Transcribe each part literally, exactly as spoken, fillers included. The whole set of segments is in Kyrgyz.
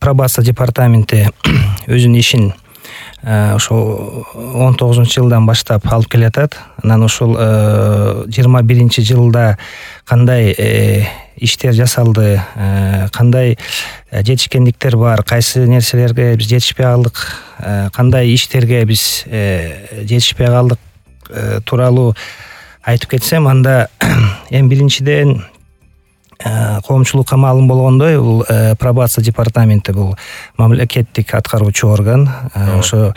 пробация департаменти өзүнүн ишин ошо он тогузунчу жылдан баштап алып келатат. Анан ушул жыйырма биринчи жылда кандай иштер жасалды, кандай жетишкендиктер бар, кайсы нерселерге биз жетишпей калдык, кандай иштерге биз жетишпей калдык тууралуу айтып кетсем, анда эң биринчиден коомчулукка маалым болгондой, бул пробация департаменти бул мамлекеттик аткаруучу орган. Ошо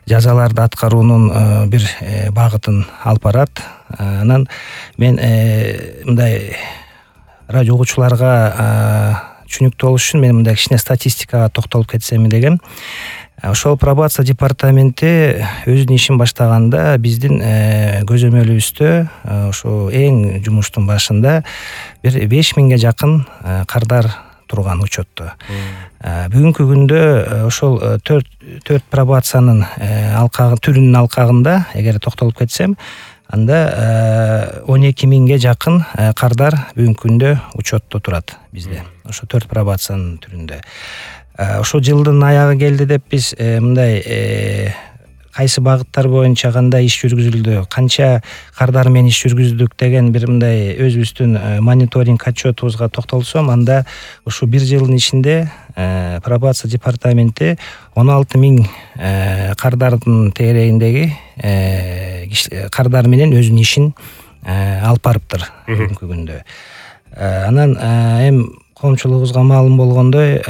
жазаларды аткаруунун бир багытын алып барат. Анан мен мындай радио угуучуларга түшүнүктүү болуш үчүн мен мындай кичине статистикага токтолуп кетсем дегем. Ошол пробация департаменти өзүнүн ишин баштаганда биздин көзөмөлүбүздө ошо эң жумуштун башында бир беш миңге жакын кардар турган учетто. Бүгүнкү күндө ошол төрт төрт пробациянын алкагы түрүнүн алкагында эгер токтолуп кетсем, анда он эки миңге жакын кардар бүгүнкү күндө учетто турат бизде. Ошо төрт пробациянын түрүндө. Ошо жылдын аягы келди деп биз мындай кайсы багыттар боюнча кандай иш жүргүзүлдү, канча кардар менен иш жүргүздүк деген бир мындай өзүбүздүн мониторинг отчетубузга токтолсом, анда ушу бир жылдын ичинде пробация департаменти он алты миң кардардын тегерегиндеги кардар менен өзүнүн ишин алып барыптыр бүгүнкү күндө. Анан эми коомчулугубузга маалым болгондой,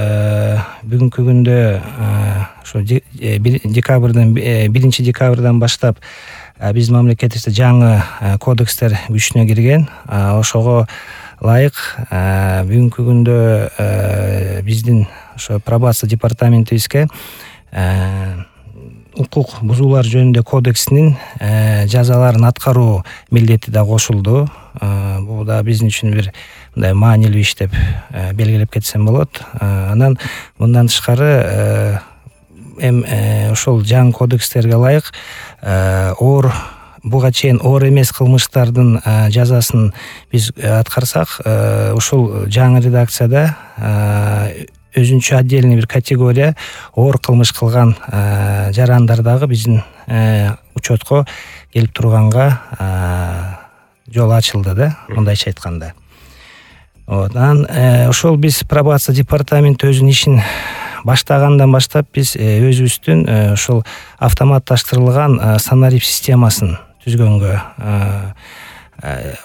бүгүнкү күндө ошо декабрдын биринчи декабрдан баштап биздин мамлекетибизде жаңы кодекстер күчүнө кирген. Ошого ылайык бүгүнкү күндө биздин ошо пробация департаментибизге укук бузуулар жөнүндө кодексинин жазаларын аткаруу милдети да кошулду. Бул да биздин үчүн бир мындай маанилүү иш деп белгилеп кетсем болот. Анан мындан тышкары эми ошол жаңы кодекстерге ылайык оор буга чейин оор эмес кылмыштардын жазасын биз аткарсак, ушул жаңы редакцияда өзүнчө отдельный бир категория оор кылмыш кылган жарандар дагы биздин учетко келип турганга жол ачылды да, мындайча айтканда. Анан ошол биз пробация департаменти өзүнүн ишин баштагандан баштап биз өзүбүздүн ошол автоматташтырылган санарип системасын түзгөнгө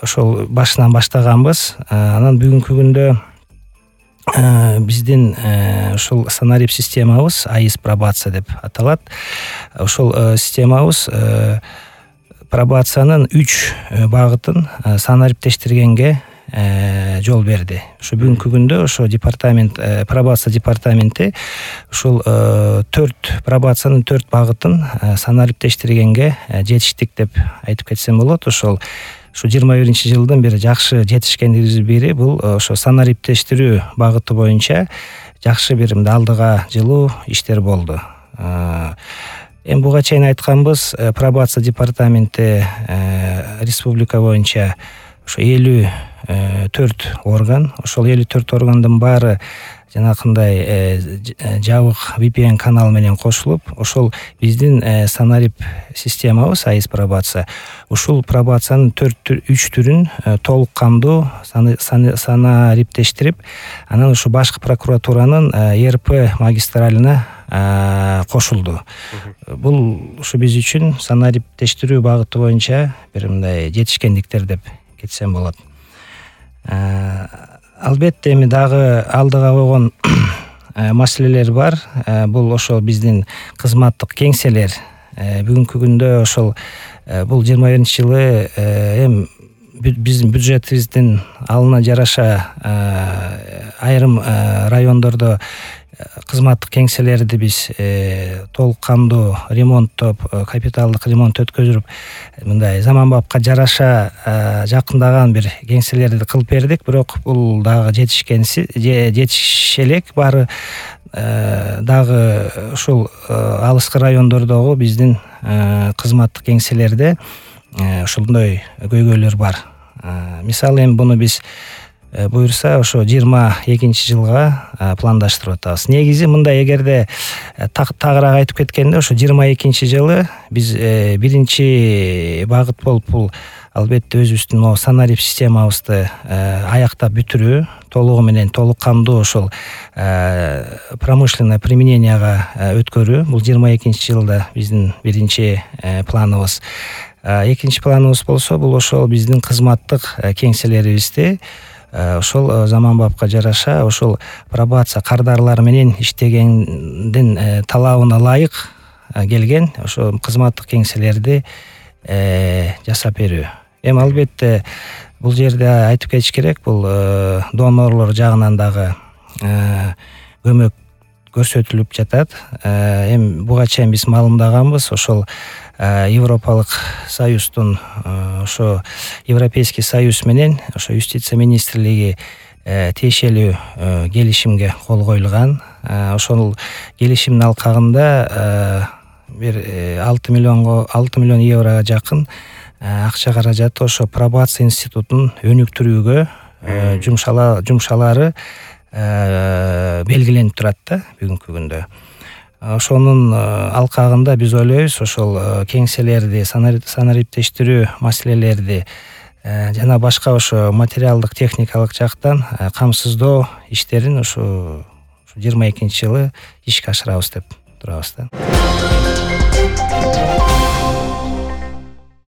ошол башынан баштаганбыз. Анан бүгүнкү күндө биздин ошол санарип системабыз АИС пробация деп аталат. Ошол системабыз пробациянын үч багытын санариптештиргенге жол берди. Ошо бүгүнкү күндө ошо департамент пробация департаменти ушул төрт пробациянын төрт багытын санариптештиргенге жетиштик деп айтып кетсем болот. Ошол ушу жыйырма биринчи жылдын бир жакшы жетишкендигибиздин бири бул ошо санариптештирүү багыты боюнча жакшы бир мындай алдыга жылуу иштер болду. Эми буга чейин айтканбыз, пробация департаменти республика боюнча ошо элүү төрт орган. Ошол элүү төрт органдын баары жанакындай жабык ви пи эн канал менен кошулуп, ошол биздин санарип системабыз АИС пробация. Ушул пробациянын үч түрүн толук кандуу санариптештирип, анан ушу башкы прокуратуранын Е Р П магистралына кошулду. Бул ушу биз үчүн санариптештирүү багыты боюнча бир мындай жетишкендиктер деп кетсем болот. Албетте эми дагы алдыга койгон маселелер бар. Бул ошол биздин кызматтык кеңселер. Бүгүнкү күндө ошол бул жыйырма биринчи жылы эми биздин бюджетибиздин алына жараша айрым райондордо кызматтык кеңселерди биз толук кандуу ремонттоп, капиталдык ремонт өткөзүп, мындай заманбапка жараша жакындаган бир кеңселерди кылып бердик. Бирок бул дагы жетишкенси жетише элек баары дагы ушул алыскы райондордогу биздин кызматтык кеңселерде ушундай көйгөйлөр бар. Мисалы эми буну биз буюрса ошо жыйырма экинчи жылга пландаштырып атабыз. Негизи мындай, эгерде тагыраак айтып кеткенде, ошо жыйырма экинчи жылы биз биринчи багыт болуп бул албетте өзүбүздүн могу санарип системабызды аяктап бүтүрүү, толугу менен толук камдуу ошол промышленное примененияга өткөрүү. Бул жыйырма экинчи жылда биздин биринчи планыбыз. Экинчи планыбыз болсо, бул ошол биздин кызматтык кеңселерибизди ошол заманбапка жараша ошол пробация кардарлар менен иштегендин талабына ылайык келген ошо кызматтык кеңселерди жасап берүү. Эми албетте бул жерде айтып кетиш керек, бул донорлор жагынан дагы көмөк көрсөтүлүп жатат. Эми буга чейин биз маалымдаганбыз, ошол Европалык Союздун, ошо Европейский Союз менен ошо юстиция министрлиги тиешелүү келишимге кол коюлган. Ошол келишимдин алкагында бир алты миллионго алты миллион еврого жакын акча каражаты ошо пробация институтун өнүктүрүүгө жумшалары белгиленип турат да бүгүнкү күндө. Ошонун алкагында биз ойлойбуз, ошол кеңселерди, санариптештирүү маселелерди жана башка ошо материалдык техникалык жактан камсыздоо иштерин ошо жыйырма экинчи жылы ишке ашырабыз деп турабыз да.